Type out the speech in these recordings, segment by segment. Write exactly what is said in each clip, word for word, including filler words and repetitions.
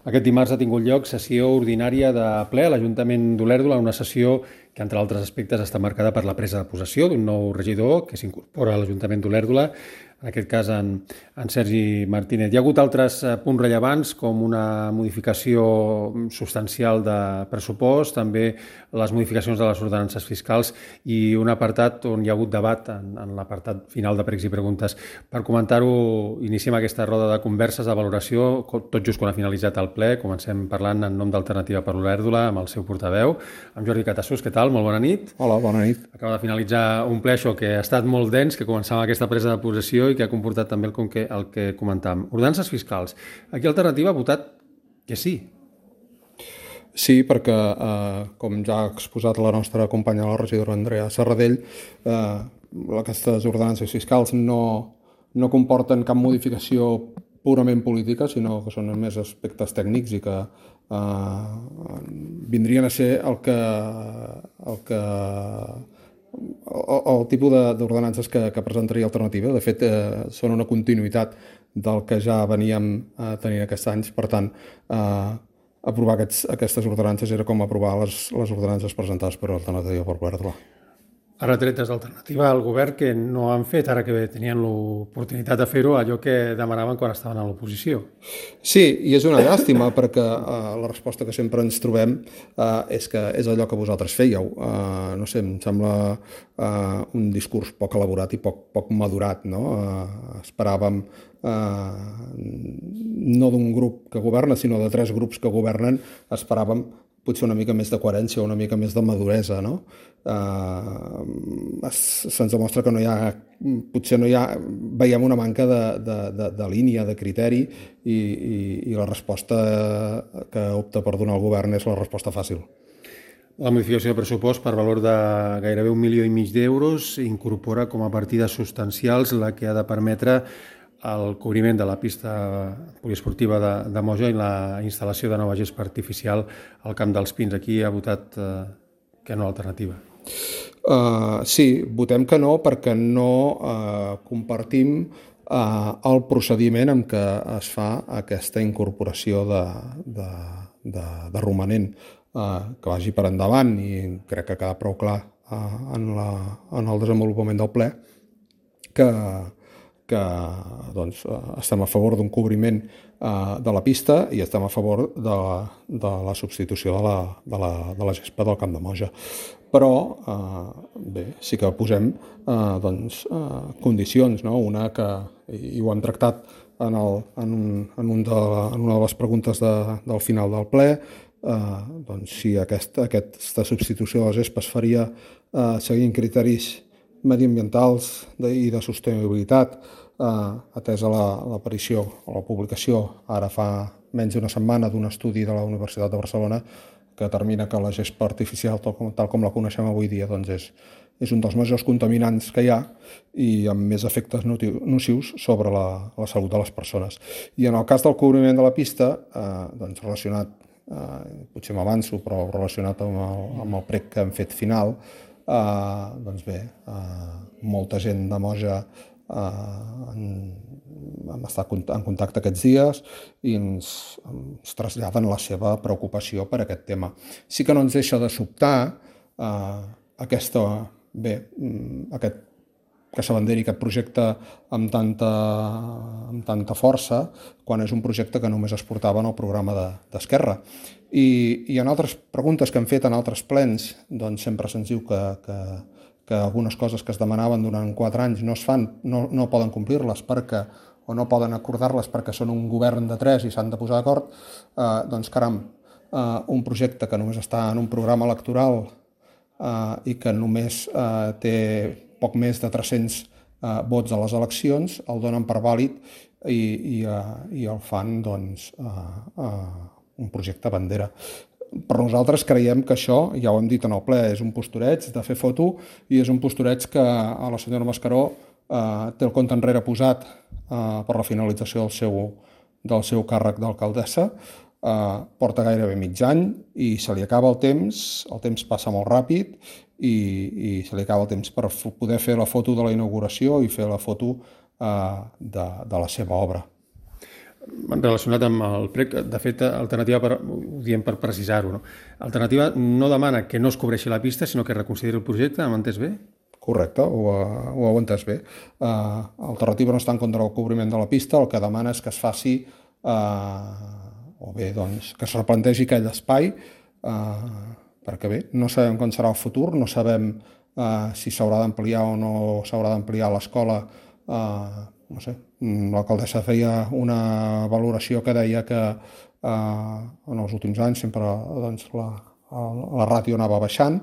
Aquest dimarts ha tingut lloc sessió ordinària de ple a l'Ajuntament d'Olèrdola, una sessió que, entre altres aspectes, està marcada per la presa de possessió d'un nou regidor que s'incorpora a l'Ajuntament d'Olèrdola, en aquest cas en, en Sergi Martínez. Hi ha hagut altres punts rellevants, com una modificació substancial de pressupost, també les modificacions de les ordenances fiscals i un apartat on hi ha hagut debat en, en l'apartat final de pregs i preguntes. Per comentar-ho, iniciem aquesta roda de converses, de valoració, tot just quan ha finalitzat el ple. Comencem parlant en nom d'Alternativa per Olèrdola amb el seu portaveu, amb Jordi Catassús. Què tal? Molt bona nit. Hola, bona nit. Acaba de finalitzar un ple, això, que ha estat molt dens, que començava aquesta presa de possessió i que ha comportat també el que, el que comentàvem. Ordenances fiscals. Aquí Alternativa ha votat que sí. Sí, perquè, eh, com ja ha exposat la nostra companya, la regidora Andrea Serradell, eh, aquestes ordenances fiscals no, no comporten cap modificació purament política, sinó que són més aspectes tècnics i que eh, vindrien a ser el que... El que el, el tipus d'ordenances que, que presentaria Alternativa. De fet, eh, són una continuïtat del que ja veníem eh, tenint aquests anys. Per tant, eh, aprovar aquests, aquestes ordenances era com aprovar les, les ordenances presentades per Alternativa per Olèrdola. Ara tretes d'Alternativa al govern que no han fet, ara que tenien l'oportunitat de fer-ho, allò que demanaven quan estaven a l'oposició. Sí, i és una llàstima perquè uh, la resposta que sempre ens trobem uh, és que és allò que vosaltres fèieu. Uh, no sé, em sembla uh, un discurs poc elaborat i poc, poc madurat, no? Uh, esperàvem uh, no d'un grup que governa, sinó de tres grups que governen, esperàvem potser una mica més de coherència, una mica més de maduresa, no? Uh, se'ns demostra que no hi ha, potser no hi ha, veiem una manca de, de, de, de línia, de criteri, i, i, i la resposta que opta per donar el govern és la resposta fàcil. La modificació de pressupost per valor de gairebé un milió i mig d'euros incorpora com a partides substancials la que ha de permetre el cobriment de la pista poliesportiva de, de Moja i la instal·lació de nova gespa artificial al Camp dels Pins. Aquí ha votat eh, que no l'Alternativa. Uh, sí, votem que no perquè no uh, compartim uh, el procediment amb què es fa aquesta incorporació de, de, de, de romanent, uh, que vagi per endavant, i crec que queda prou clar uh, en, la, en el desenvolupament del ple que que doncs, estem a favor d'un cobriment eh, de la pista i estem a favor de la, de la substitució de la, de, la, de la gespa del Camp de Moja. Però, eh, bé, sí que posem eh, doncs, eh, condicions, no? Una que, i ho hem tractat en, el, en, un, en, un de, en una de les preguntes de, del final del ple, eh, doncs, si aquesta, aquesta substitució de la gespa es faria eh, seguint criteris mediambientals i de sostenibilitat, eh, atesa l'aparició o la publicació ara fa menys d'una setmana d'un estudi de la Universitat de Barcelona que determina que la gespa artificial, tal com, tal com la coneixem avui dia, doncs és, és un dels majors contaminants que hi ha i amb més efectes nocius sobre la, la salut de les persones. I en el cas del cobriment de la pista, eh, doncs relacionat, eh, potser m'avanço, però relacionat amb el, amb el prec que hem fet final, Uh, doncs bé, uh, molta gent de Moja uh, hem estat en contacte aquests dies i ens, ens traslladen la seva preocupació per aquest tema. Sí que no ens deixa de sobtar uh, aquesta, bé, aquest, que s'abanderi aquest projecte amb tanta, amb tanta força quan és un projecte que només es portava en el programa d'Esquerra. I, i en altres preguntes que hem fet en altres plens, doncs sempre se'ns diu que, que, que algunes coses que es demanaven durant quatre anys no es fan, no, no poden complir-les perquè, o no poden acordar-les perquè són un govern de tres i s'han de posar d'acord, eh, doncs caram, eh, un projecte que només està en un programa electoral eh, i que només eh, té poc més de tres-cents eh, vots a les eleccions, el donen per vàlid i, i, eh, i el fan, doncs, eh, eh, un projecte bandera. Per nosaltres creiem que això, ja ho hem dit en el ple, és un postureig de fer foto i és un postureig que a la senyora Mascaró eh, té el compte enrere posat eh, per la finalització del seu, del seu càrrec d'alcaldessa, eh, porta gairebé mig any i se li acaba el temps, el temps passa molt ràpid i, i se li acaba el temps per poder fer la foto de la inauguració i fer la foto eh, de, de la seva obra. relacionat amb el prec, de fet, alternativa, per, ho diem per precisar-ho, no? Alternativa no demana que no es cobreixi la pista, sinó que reconsideri el projecte, m'ha entès bé? Correcte, ho, ho heu entès bé. Uh, alternativa no està en contra del cobriment de la pista, el que demana és que es faci, uh, o bé, doncs, que es replantegi aquell espai, uh, perquè bé, no sabem com serà el futur, no sabem uh, si s'haurà d'ampliar o no s'haurà d'ampliar l'escola. Uh, no sé, l'alcaldessa feia una valoració que deia que uh, en els últims anys sempre doncs, la, la ràtio anava baixant.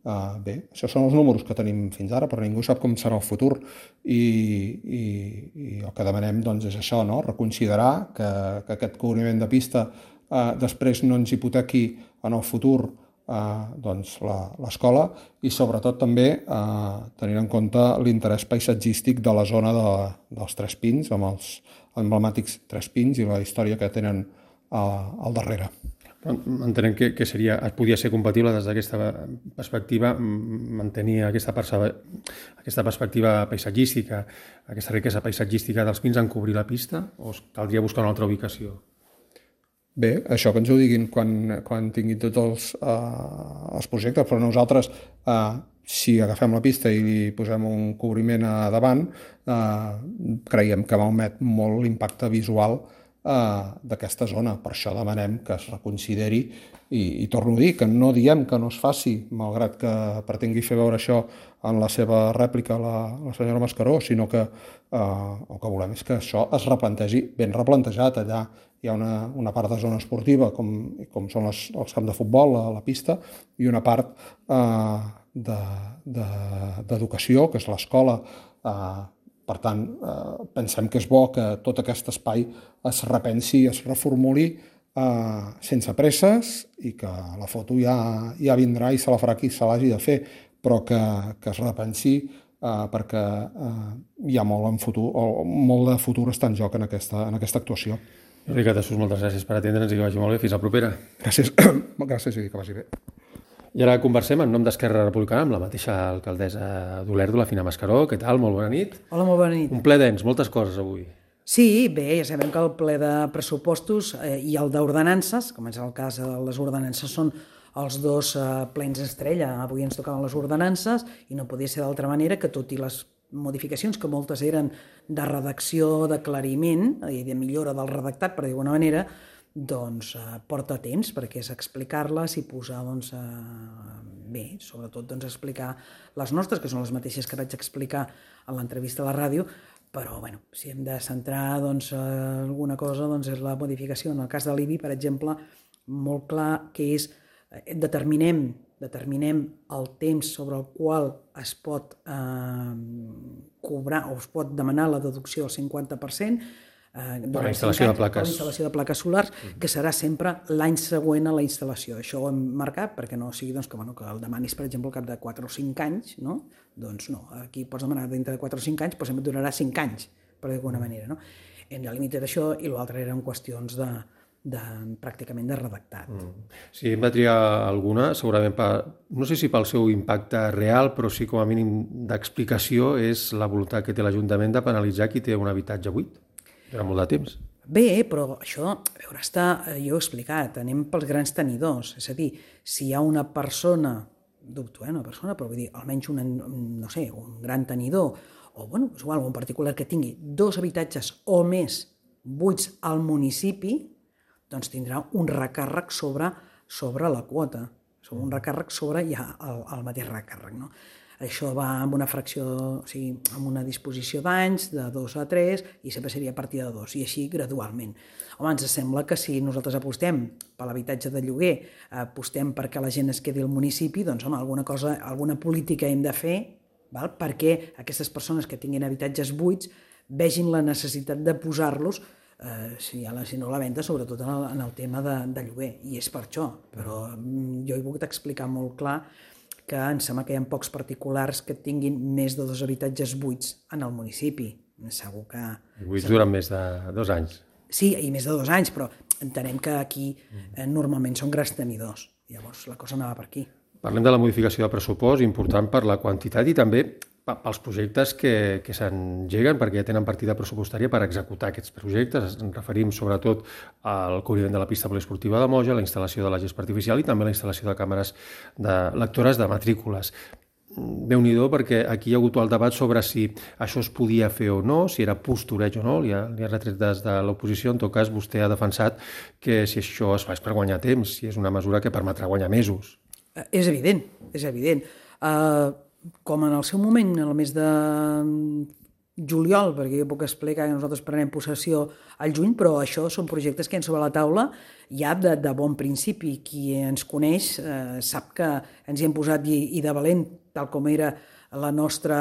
Uh, bé, això són els números que tenim fins ara, però ningú sap com serà el futur i, i, i el que demanem doncs, és això, no? Reconsiderar que, que aquest cobriment de pista uh, després no ens hipotequi en el futur Uh, doncs l'escola i sobretot també uh, tenint en compte l'interès paisatgístic de la zona de, dels Tres Pins, amb els emblemàtics Tres Pins i la història que tenen uh, al darrere. Entenem que, que seria, podia ser compatible des d'aquesta perspectiva mantenir aquesta, aquesta perspectiva paisatgística, aquesta riquesa paisatgística dels pins en cobrir la pista, o caldria buscar una altra ubicació? Bé, això que ens ho diguin quan, quan tinguin tots els, uh, els projectes, però nosaltres, uh, si agafem la pista i li posem un cobriment a davant, uh, creiem que malmet molt l'impacte visual uh, d'aquesta zona. Per això demanem que es reconsideri i, i torno a dir que no diem que no es faci, malgrat que pretengui fer veure això en la seva rèplica la, la senyora Mascaró, sinó que uh, el que volem és que això es replantegi ben replantejat allà. Hi ha una, una part de zona esportiva, com, com són les, els camps de futbol, la, la pista, i una part eh, d'educació, de, de, que és l'escola. Eh, per tant, eh, pensem que és bo que tot aquest espai es repensi, es reformuli eh, sense presses i que la foto ja, ja vindrà i se la farà qui se l'hagi de fer, però que, que es repensi eh, perquè eh, hi ha molt, en futur, o molt de futur està en joc en aquesta, en aquesta actuació. Ricard Jesús, moltes gràcies per atendre'ns i que vagi molt bé. Fins la propera. Gràcies, gràcies i que vagi bé. I ara conversem en nom d'Esquerra Republicana amb la mateixa alcaldessa d'Olèrdola, Fina Mascaró. Què tal? Molt bona nit. Hola, molt bona nit. Un ple dens, moltes coses avui. Sí, bé, ja sabem que el ple de pressupostos eh, i el d'ordenances, com és el cas de les ordenances, són els dos eh, plens estrella. Avui ens tocaven les ordenances i no podia ser d'altra manera que tot i les modificacions, que moltes eren de redacció, d'aclariment i de millora del redactat, per dir d'alguna manera, doncs eh, porta temps perquè és explicar-les i posar, doncs, eh, bé, sobretot doncs, explicar les nostres, que són les mateixes que vaig explicar a l'entrevista a la ràdio, però bueno, si hem de centrar doncs, alguna cosa, doncs és la modificació. En el cas de l'I B I, per exemple, molt clar que és, eh, determinem determinem el temps sobre el qual es pot eh, cobrar o es pot demanar la deducció del cinquanta per cent eh, per la instal·lació de plaques, per la instal·lació de plaques solars, que serà sempre l'any següent a la instal·lació. Això ho hem marcat perquè no sigui doncs, que, bueno, que el demanis, per exemple, al cap de quatre o cinc anys, no? Doncs no, aquí pots demanar dintre de quatre o cinc anys, però sempre et donarà cinc anys, per dir d'alguna manera. No? Hem delimitat això i l'altre eren qüestions de, de, pràcticament de redactat. Mm. Si hem de triar alguna, segurament, per, no sé si pel seu impacte real, però sí com a mínim d'explicació, és la voluntat que té l'Ajuntament de penalitzar qui té un habitatge buit durant molt de temps. Bé, però això, a veure, està, jo ho he explicat, anem pels grans tenidors, és a dir, si hi ha una persona, dubto, eh, una persona, però vull dir, almenys una, no sé, un gran tenidor, o bueno, és igual, un particular que tingui dos habitatges o més buits al municipi, doncs tindrà un recàrrec sobre, sobre la quota, sobre un recàrrec sobre ja el, el mateix recàrrec. No? Això va amb una fracció, o sigui, amb una disposició d'anys, de dos a tres, i sempre seria a partir de dos, i així gradualment. Home, ens sembla que si nosaltres apostem per l'habitatge de lloguer, apostem perquè la gent es quedi al municipi, doncs home, alguna cosa, alguna política hem de fer, val? Perquè aquestes persones que tinguin habitatges buits vegin la necessitat de posar-los Eh, si, la, si no la venda, sobretot en el, en el tema de, de lloguer, i és per això, però jo he volgut explicar molt clar que em sembla que hi ha pocs particulars que tinguin més de dos habitatges buits en el municipi. Segur que... Buits durant més de dos anys. Sí, i més de dos anys, però entenem que aquí eh, normalment són grans tenidors. Llavors la cosa anava per aquí. Parlem de la modificació de pressupost, important per la quantitat i també pels projectes que, que s'engeguen, perquè ja tenen partida pressupostària per executar aquests projectes. Ens referim sobretot al cobriment de la pista poliesportiva de Moja, la instal·lació de la gespa artificial i també la instal·lació de càmeres de lectores de matrícules. Déu-n'hi-do, perquè aquí hi ha hagut el debat sobre si això es podia fer o no, si era postureig o no, li ha, li ha retret des de l'oposició. En tot cas, vostè ha defensat que si això es fa és per guanyar temps, si és una mesura que permetrà guanyar mesos. És evident, és evident. Uh, com en el seu moment, en el mes de juliol, perquè jo puc explicar que nosaltres prenem possessió al juny, però això són projectes que hi ha sobre la taula ja de, de bon principi. Qui ens coneix eh, sap que ens hi hem posat i, i de valent, tal com era la nostra,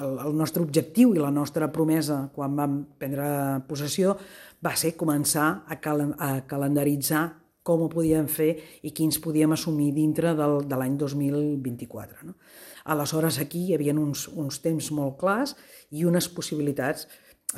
el, el nostre objectiu i la nostra promesa quan vam prendre possessió, va ser començar a, cal, a calendaritzar com ho podíem fer i quins podíem assumir dintre del, de l'any dos mil vint-i-quatre. No? Aleshores, aquí hi havia uns, uns temps molt clars i unes possibilitats.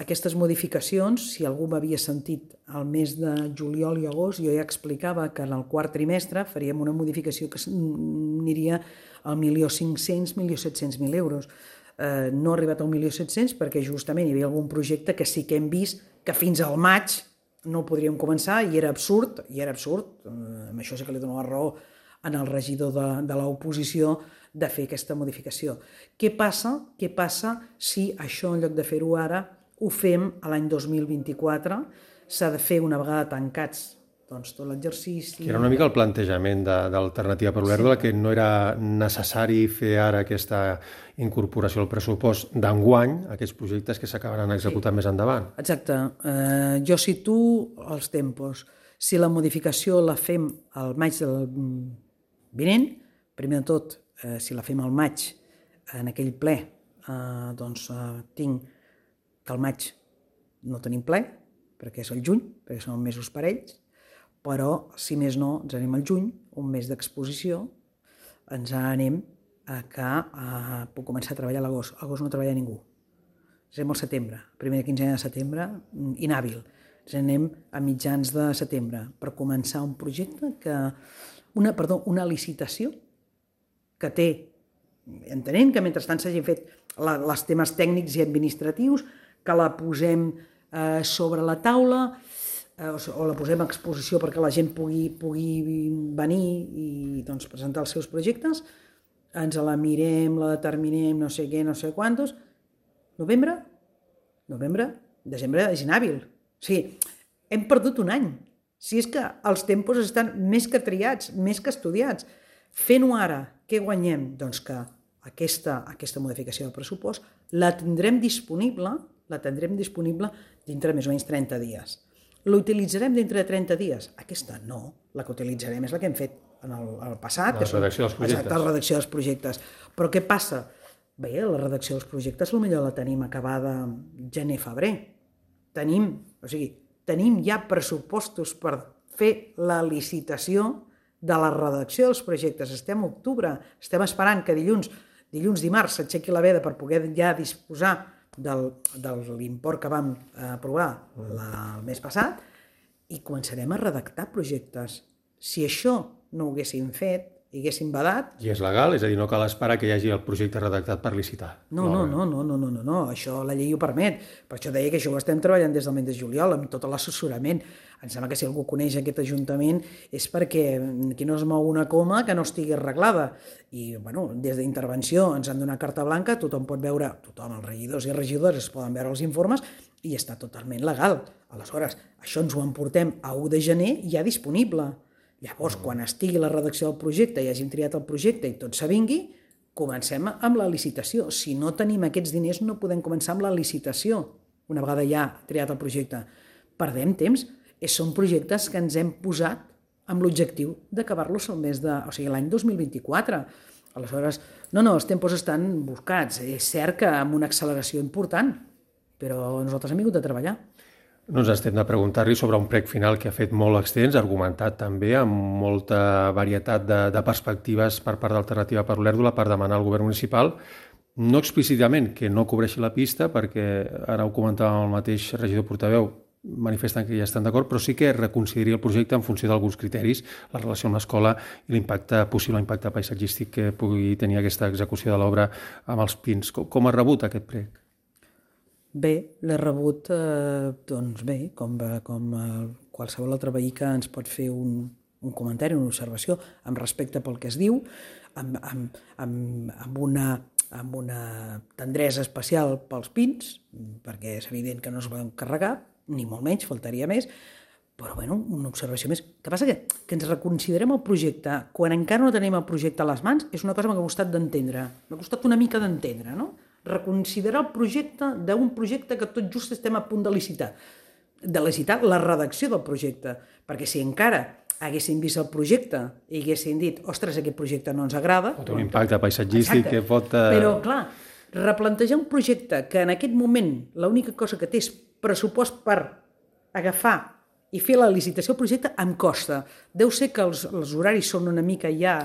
Aquestes modificacions, si algú m'havia sentit al mes de juliol i agost, jo ja explicava que en el quart trimestre faríem una modificació que aniria al milió cinc-cents, milió set-cents mil euros. Eh, no ha arribat al milió set-cents perquè justament hi havia algun projecte que sí que hem vist que fins al maig no podríem començar i era absurd, i era absurd, eh, amb això sí que li dono la raó en el regidor de, de l'oposició, de fer aquesta modificació. Què passa? Què passa si això, en lloc de fer-ho ara, ho fem a l'any dos mil vint-i-quatre? S'ha de fer una vegada tancats doncs, tot l'exercici... Que era una mica el plantejament d'Alternativa per Olèrdola, sí. Que no era necessari fer ara aquesta incorporació al pressupost d'enguany, aquests projectes que s'acabaran executant sí. Més endavant. Exacte. Eh, jo situo els tempos. Si la modificació la fem al maig del vinent, primer de tot, eh, si la fem al maig, en aquell ple, eh, doncs eh, tinc que al maig no tenim ple, perquè és el juny, perquè són mesos parells, però, si més no, ens anem al juny, un mes d'exposició, ens anem a que eh, puc començar a treballar a l'agost. A l'agost no treballa ningú. Ens anem al setembre, primera quinzena de setembre, inhàbil. Ens anem a mitjans de setembre per començar un projecte que... Una, perdó, una licitació que té, entenent que mentrestant s'hagin fet la, els temes tècnics i administratius, que la posem eh, sobre la taula eh, o, o la posem a exposició perquè la gent pugui, pugui venir i doncs, presentar els seus projectes, ens la mirem, la determinem, no sé què, no sé quantos. Novembre? Novembre? Desembre és inhàbil. O sigui, hem perdut un any. Si és que els tempos estan més que triats, més que estudiats. Fent-ho ara, què guanyem? Doncs que aquesta, aquesta modificació del pressupost la tindrem disponible, la tindrem disponible dintre més o menys trenta dies. L'utilitzarem dintre de trenta dies? Aquesta no. La que utilitzarem és la que hem fet en el, el passat. La redacció dels projectes. Exacte, la redacció dels projectes. Però què passa? Bé, la redacció dels projectes potser la tenim acabada gener-febrer. Tenim, o sigui, tenim ja pressupostos per fer la licitació de la redacció dels projectes. Estem a octubre, estem esperant que dilluns, dilluns dimarts s'aixequi la veda per poder ja disposar del, de l'import que vam aprovar la, el mes passat i començarem a redactar projectes. Si això no ho haguéssim fet, i haguéssim badat... I és legal? És a dir, no cal esperar que hi hagi el projecte redactat per licitar? No, no, no, no, no, no, no, no. Això la llei ho permet. Per això deia que això ho estem treballant des del mes de juliol, amb tot l'assessorament. Em sembla que si algú coneix aquest ajuntament és perquè aquí no es mou una coma que no estigui arreglada. I, bueno, des d'intervenció ens han donat carta blanca, tothom pot veure, tothom, els regidors i regidores es poden veure els informes i està totalment legal. Aleshores, això ens ho emportem a u de gener ja disponible. Llavors, quan estigui la redacció del projecte i hàgim triat el projecte i tot s'avingui, comencem amb la licitació. Si no tenim aquests diners, no podem començar amb la licitació, una vegada ja triat el projecte. Perdem temps. Són projectes que ens hem posat amb l'objectiu d'acabar-los el mes de... o sigui, l'any dos mil vint-i-quatre. Aleshores, no, no, els tempos estan buscats. És cert que amb una acceleració important, però nosaltres hem vingut a treballar. No ens estem de preguntar-li sobre un prec final que ha fet molt extens, argumentat també amb molta varietat de, de perspectives per part d'Alternativa per Olèrdola per demanar al govern municipal, no explícitament que no cobreixi la pista, perquè ara ho comentava el mateix regidor portaveu, manifesten que ja estan d'acord, però sí que reconsideri el projecte en funció d'alguns criteris, la relació amb l'escola i l'impacte, possible impacte paisatgístic que pugui tenir aquesta execució de l'obra amb els pins. Com, com ha rebut aquest prec? Bé, l'he rebut, eh, doncs bé, com, com eh, qualsevol altre veí que ens pot fer un, un comentari, una observació, amb respecte pel que es diu, amb, amb, amb, amb una... amb una tendresa especial pels pins, perquè és evident que no es poden carregar, ni molt menys, faltaria més, però bueno, una observació més. El que passa que, que ens reconsiderem el projecte quan encara no tenim el projecte a les mans és una cosa que m'ha costat d'entendre, m'ha costat una mica d'entendre, no? Reconsiderar el projecte d'un projecte que tot just estem a punt de licitar, de licitar la redacció del projecte, perquè si encara haguessin vist el projecte i haguessin dit, ostres, aquest projecte no ens agrada... Pot tenir un impacte paisatgístic que pot... Uh... Però, clar, replantejar un projecte que en aquest moment l'única cosa que té és pressupost per agafar i fer la licitació del projecte em costa. Deu ser que els, els horaris són una mica ja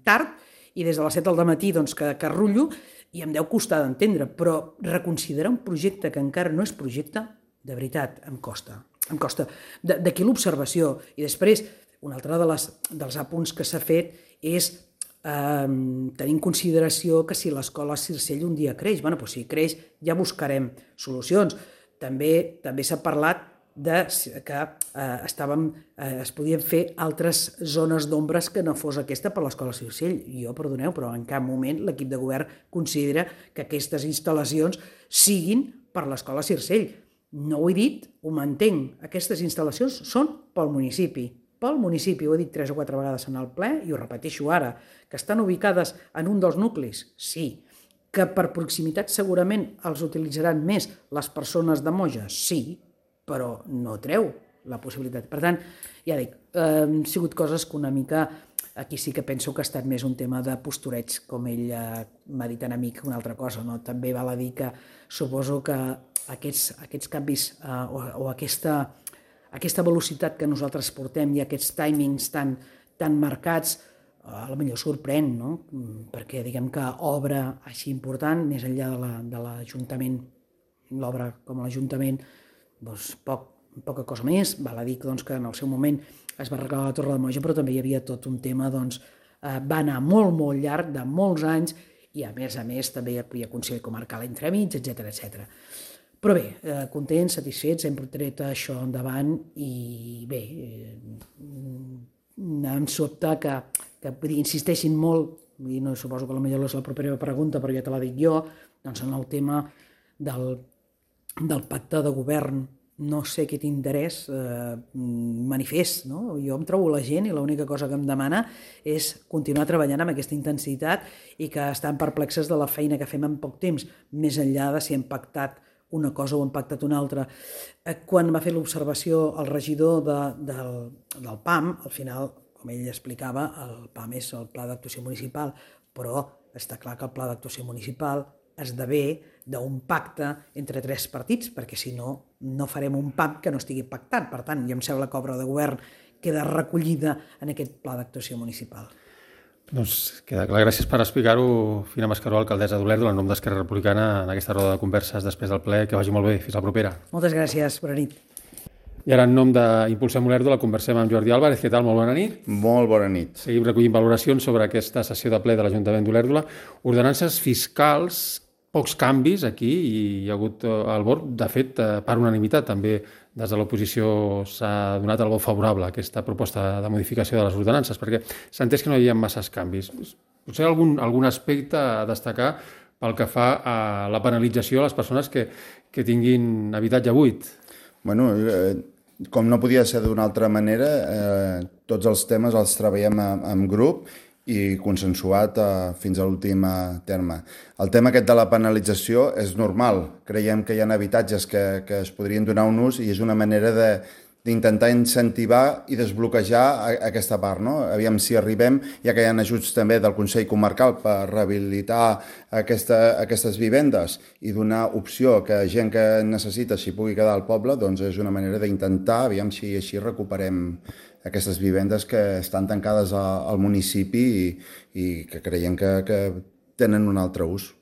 tard i des de les set del matí doncs, que, que rullo i em deu costar d'entendre, però reconsiderar un projecte que encara no és projecte, de veritat, em costa. Em costa. D'aquí l'observació. I després, un altre de les, dels apunts que s'ha fet és eh, tenir en consideració que si l'escola Circell un dia creix, bueno, doncs si creix ja buscarem solucions. També també s'ha parlat de que eh, estàvem, eh, es podien fer altres zones d'ombres que no fos aquesta per l'escola Circell. Jo, perdoneu, però en cap moment l'equip de govern considera que aquestes instal·lacions siguin per l'escola Circell. No ho he dit, ho mantenc. Aquestes instal·lacions són pel municipi. Pel municipi, ho he dit tres o quatre vegades en el ple i ho repeteixo ara, que estan ubicades en un dels nuclis, sí. Que per proximitat segurament els utilitzaran més les persones de Moja, sí, però no treu la possibilitat. Per tant, ja dic, eh, han sigut coses que una mica, aquí sí que penso que ha estat més un tema de postureig, com ell eh, m'ha dit en amic una altra cosa, no? També val a dir que suposo que aquests, aquests canvis eh, o, o aquesta... aquesta velocitat que nosaltres portem i aquests timings tan, tan marcats, a lo millor sorprèn, no? Perquè diguem que obra així important, més enllà de l'Ajuntament, l'obra com l'Ajuntament, doncs poc, poca cosa més. Val a dir doncs, que en el seu moment es va arreglar la Torre de Moja, però també hi havia tot un tema, doncs, eh, va anar molt, molt llarg, de molts anys, i a més a més també hi havia Consell Comarcal entremig, etcètera, etcètera. Però bé, eh, contents, satisfets, hem tret això endavant i bé, eh, em sobta que, que dir, insisteixin molt, i no suposo que potser és la propera pregunta, però ja te la dic jo, doncs en el tema del, del pacte de govern. No sé aquest interès eh, manifest, no? Jo em trobo la gent i l'única cosa que em demana és continuar treballant amb aquesta intensitat i que estan perplexes de la feina que fem en poc temps, més enllà de si hem pactat una cosa o hem pactat una altra. Quan va fer l'observació el regidor de, del, del P A M, al final, com ell explicava, el P A M és el Pla d'Actuació Municipal, però està clar que el Pla d'Actuació Municipal esdevé d'un pacte entre tres partits, perquè si no, no farem un P A M que no estigui pactat. Per tant, jo em sembla que l'obra de govern queda recollida en aquest Pla d'Actuació Municipal. Doncs queda clar. Gràcies per explicar-ho, Fina Mascaró, alcaldessa d'Olèrdola, en nom d'Esquerra Republicana, en aquesta roda de converses després del ple. Que vagi molt bé. Fins la propera. Moltes gràcies. Bona nit. I ara, en nom d'Impulsem Olèrdola, conversem amb Jordi Álvarez. Què tal? Molt bona nit. Molt bona nit. Seguim recollint valoracions sobre aquesta sessió de ple de l'Ajuntament d'Olèrdola. Ordenances fiscals, pocs canvis aquí, i hi ha hagut el vot, de fet, per unanimitat també des de l'oposició s'ha donat el vot favorable a aquesta proposta de modificació de les ordenances, perquè s'ha entès que no hi havia masses canvis. Potser algun, algun aspecte a destacar pel que fa a la penalització a les persones que, que tinguin habitatge buit. Bueno, eh, com no podia ser d'una altra manera, eh, tots els temes els treballem en, en grup i consensuat eh, fins a l'últim terme. El tema aquest de la penalització és normal. Creiem que hi ha habitatges que, que es podrien donar un ús i és una manera de, d'intentar incentivar i desbloquejar a, a aquesta part, no? Aviam si arribem, ja que hi ha ajuts també del Consell Comarcal per rehabilitar aquesta, aquestes vivendes i donar opció que gent que necessita s'hi pugui quedar al poble, doncs és una manera d'intentar, aviam si així recuperem aquestes vivendes que estan tancades a, al municipi i, i que creiem que, que tenen un altre ús.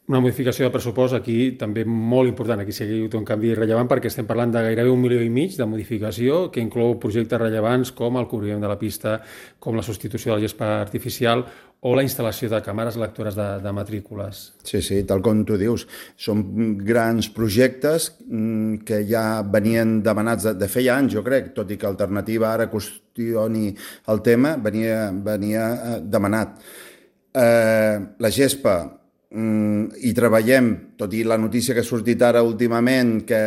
Una modificació de pressupost aquí també molt important, aquí sí que hi ha un canvi rellevant perquè estem parlant de gairebé un milió i mig de modificació que inclou projectes rellevants com el cobriment de la pista, com la substitució de la gespa artificial o la instal·lació de càmeres lectores de, de matrícules. Sí, sí, tal com tu dius. Són grans projectes que ja venien demanats de, de feia anys, jo crec, tot i que Alternativa ara qüestioni el tema, venia, venia demanat. Eh, la gespa, i treballem, tot i la notícia que ha sortit ara últimament que,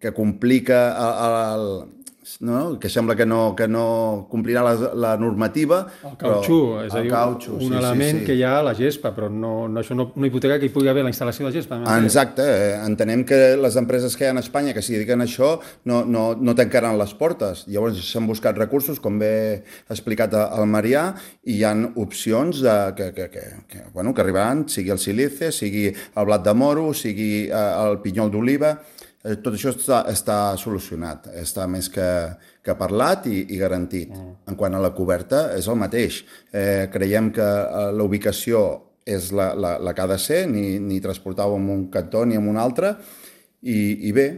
que complica el, el, no? que sembla que no, que no complirà la, la normativa. El cautxú, és a dir, cautxú, un sí, element sí, sí. que hi ha a la gespa, però no, no, això no, no hipoteca que hi pugui haver la instal·lació de gespa. Exacte, entenem que les empreses que hi ha en Espanya que s'hi dediquen a això no, no, no tancaran les portes. Llavors s'han buscat recursos, com bé ha explicat el Marià, i hi ha opcions de, que, que, que, que, bueno, que arribaran, sigui el silice, sigui el blat de moro, sigui el pinyol d'oliva. Tot això està, està solucionat, està més que, que parlat i, i garantit. Mm. En quant a la coberta, és el mateix. Eh, creiem que la ubicació és la, la, la que ha de ser, ni, ni transportar-ho en un cantó ni en un altre, i, i bé,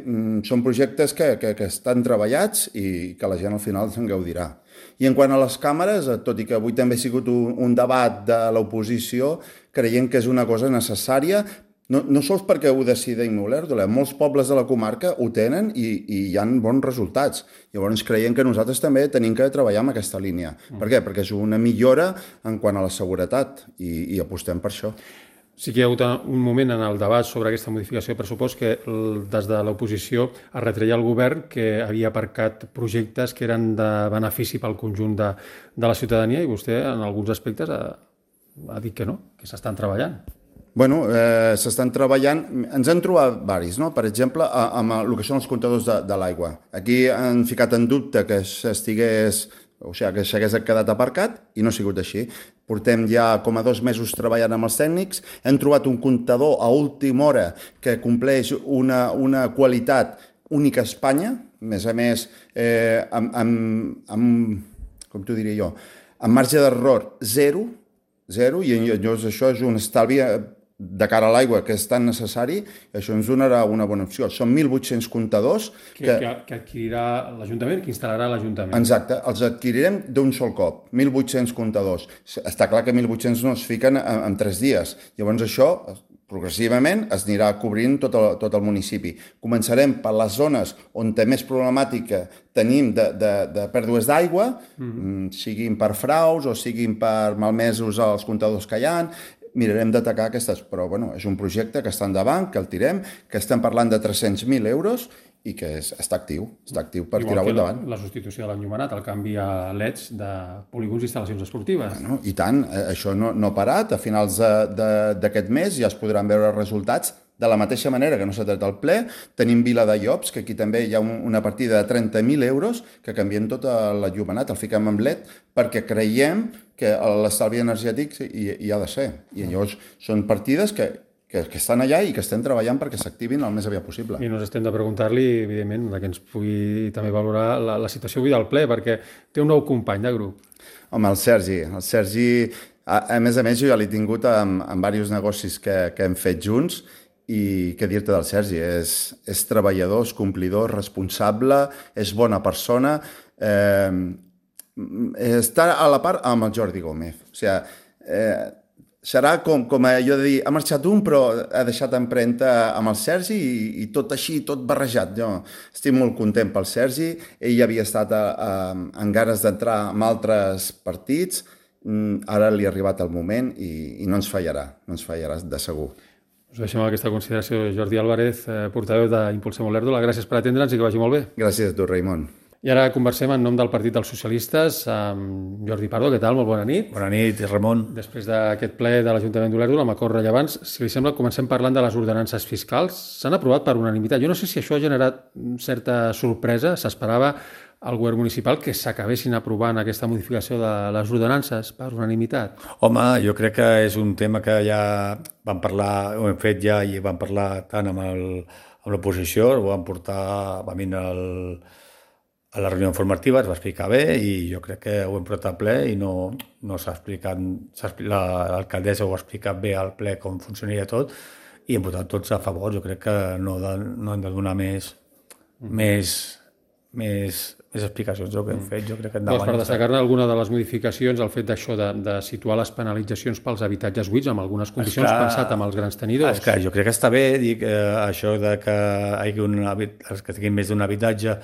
són projectes que, que, que estan treballats i que la gent al final se'n gaudirà. I en quant a les càmeres, tot i que avui també ha sigut un, un debat de l'oposició, creiem que és una cosa necessària. No, no sols perquè ho decidim Olèrdola, molts pobles de la comarca ho tenen i, i hi ha bons resultats. Llavors creiem que nosaltres també tenim que treballar en aquesta línia. Mm. Per què? Perquè és una millora en quant a la seguretat i, i apostem per això. Sí que hi ha hagut un moment en el debat sobre aquesta modificació de pressupost que des de l'oposició es retreia al govern que havia aparcat projectes que eren de benefici pel conjunt de, de la ciutadania i vostè en alguns aspectes ha, ha dit que no, que s'estan treballant. Bueno, eh, s'estan treballant, ens han trobat varis, no? Per exemple, amb el que són els comptadors de, de l'aigua. Aquí han ficat en dubte que estigués, o sigui, que s'hagués quedat aparcat i no ha sigut així. Portem ja com a dos mesos treballant amb els tècnics, hem trobat un comptador a última hora que compleix una, una qualitat única a Espanya, a més a més, eh, amb, amb, amb, com t'ho diria jo, amb marge d'error zero, zero, i llavors això és un estalvi de cara a l'aigua que és tan necessari, això ens donarà una bona opció. Són mil vuit-cents comptadors que, que... que adquirirà l'Ajuntament, que instal·larà l'Ajuntament. Exacte, els adquirirem d'un sol cop, mil vuit-cents comptadors. Està clar que mil vuit-cents no es fiquen en, en tres dies. Llavors això, progressivament, es anirà cobrint tot el, tot el municipi. Començarem per les zones on té més problemàtica tenim de, de, de pèrdues d'aigua, mm-hmm. siguin per fraus o siguin per malmesos als comptadors que hi ha. Mirarem d'atacar aquestes, però bueno, és un projecte que està endavant, que el tirem, que estem parlant de tres-cents mil euros i que és, està actiu, està actiu per tirar-ho endavant. La, la substitució de l'enllumenat, el canvi a L E Ds de polígons i instal·lacions esportives. Bueno, i tant, això no, no ha parat, a finals d'aquest mes ja es podran veure resultats. De la mateixa manera que no s'ha tret el ple, tenim Vila de Llops, que aquí també hi ha un, una partida de trenta mil euros que canviem tot l'enllumenat, el fiquem amb L E D, perquè creiem que l'estalvi energètic hi, hi ha de ser. I llavors són partides que, que, que estan allà i que estem treballant perquè s'activin el més aviat possible. I nos estem de preguntar-li, evidentment, que ens pugui també valorar la, la situació avui del ple, perquè té un nou company de grup. Home, el Sergi. El Sergi, a, a més a més, jo ja l'he tingut en, en diversos negocis que, que hem fet junts. I què dir-te del Sergi? És, és treballador, és complidor, responsable, és bona persona, eh, està a la part amb el Jordi Gómez. O sigui, eh, serà com, com allò de dir, ha marxat un però ha deixat empremta amb el Sergi i, i tot així, tot barrejat. Jo estic molt content pel Sergi, ell havia estat a, a, amb ganes d'entrar en altres partits, ara li ha arribat el moment i, i no ens fallarà, no ens fallarà de segur. Us deixem aquesta consideració. Jordi Álvarez, eh, portaveu d'Impulsem Olèrdola. Gràcies per atendre'ns i que vagi molt bé. Gràcies a tu, Raimon. I ara conversem en nom del Partit dels Socialistes amb Jordi Pardo. Què tal? Molt bona nit. Bona nit, Ramon. Després d'aquest ple de l'Ajuntament d'Olèrdola, amb acords rellevants, si li sembla, comencem parlant de les ordenances fiscals. S'han aprovat per unanimitat. Jo no sé si això ha generat certa sorpresa. S'esperava al govern municipal que s'acabessin aprovant aquesta modificació de les ordenances per unanimitat. Home, jo crec que és un tema que ja vam parlar, ho hem fet ja i vam parlar tant amb el, amb l'oposició, ho vam portar, vam venir al, a la reunió informativa, es va explicar bé i jo crec que ho hem portat al ple i no, no s'ha explicat, l'alcaldessa ho ha explicat bé al ple com funcionaria tot i hem votat tots a favor. Jo crec que no, de, no hem de donar més, mm. més, més, més explicacions del que hem fet. Jo crec que doncs per destacar-ne alguna de les modificacions, el fet d'això de, de situar les penalitzacions pels habitatges buits amb algunes condicions esclar, pensat amb els grans tenidors. Esclar, jo crec que està bé dic, eh, això de que hi hagi un, els que tinguin més d'un habitatge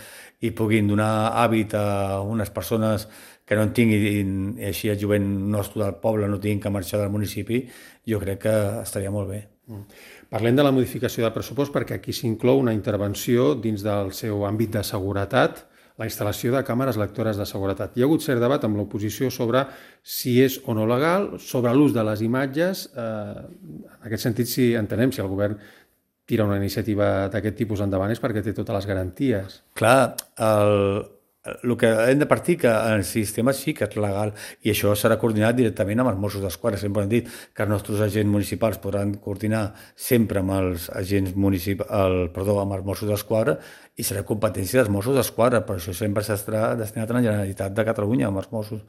i puguin donar hàbit a unes persones que no en tinguin, i així el jovent nostre del poble no tinguin que marxar del municipi, jo crec que estaria molt bé. Mm. Parlem de la modificació del pressupost perquè aquí s'inclou una intervenció dins del seu àmbit de seguretat, la instal·lació de càmeres lectores de seguretat. Hi ha hagut cert debat amb l'oposició sobre si és o no legal, sobre l'ús de les imatges. Eh, en aquest sentit, si entenem, si el govern tira una iniciativa d'aquest tipus endavant és perquè té totes les garanties. Clar, el, el que hem de partir que el sistema sí que és legal i això serà coordinat directament amb els Mossos d'Esquadra. Sempre hem dit que els nostres agents municipals podran coordinar sempre amb els agents municipals, el, perdó, amb els Mossos d'Esquadra i serà competència dels Mossos d'Esquadra, però això sempre s'estarà destinat a la Generalitat de Catalunya, amb els Mossos.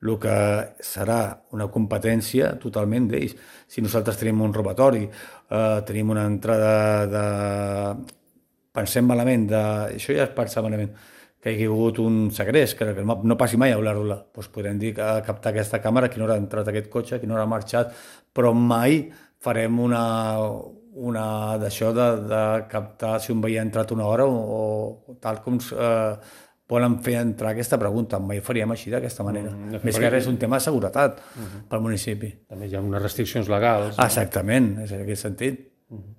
El que serà una competència totalment d'ells. Si nosaltres tenim un robatori, eh, tenim una entrada de... Pensem malament, de... això ja es pensa malament, que hi ha hagut un segrest, que no passi mai a Olèrdola. Doncs podem dir que a captar aquesta càmera, a quina hora ha entrat aquest cotxe, a quina hora ha marxat, però mai farem una, una d'això de, de captar si un veí ha entrat una hora o, o tal com eh, volen fer entrar aquesta pregunta. Mai faríem així d'aquesta manera. Mm, Més que res és un tema de seguretat uh -huh. pel municipi. També hi ha unes restriccions legals. No? Exactament, és en aquest sentit. Uh -huh.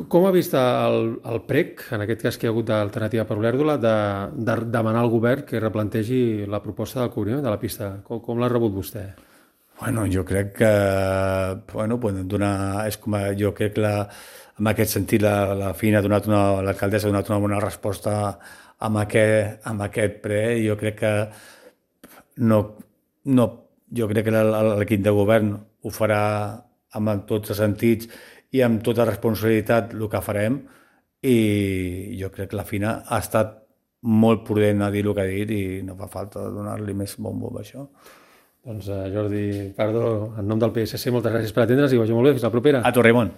Com ha vist el, el P R E C, en aquest cas que hi ha hagut d'Alternativa per Olèrdola, de, de demanar al govern que replantegi la proposta del cobriment de la pista? Com, com l'ha rebut vostè? Bueno, jo crec que bueno, podem donar, és com a, jo crec que la, en aquest sentit la, la FINA ha donat una, l'alcaldessa ha donat una bona resposta amb aquest, amb aquest ple. Jo crec que no, no jo crec que l'equip de govern ho farà amb tots els sentits i amb tota responsabilitat el que farem i jo crec que la FINA ha estat molt prudent a dir el que ha dit i no fa falta donar-li més bombo a això. Doncs Jordi Pardo, en nom del P S C, moltes gràcies per atendre's i vagi molt bé. Fins la propera. A tu, Raimon.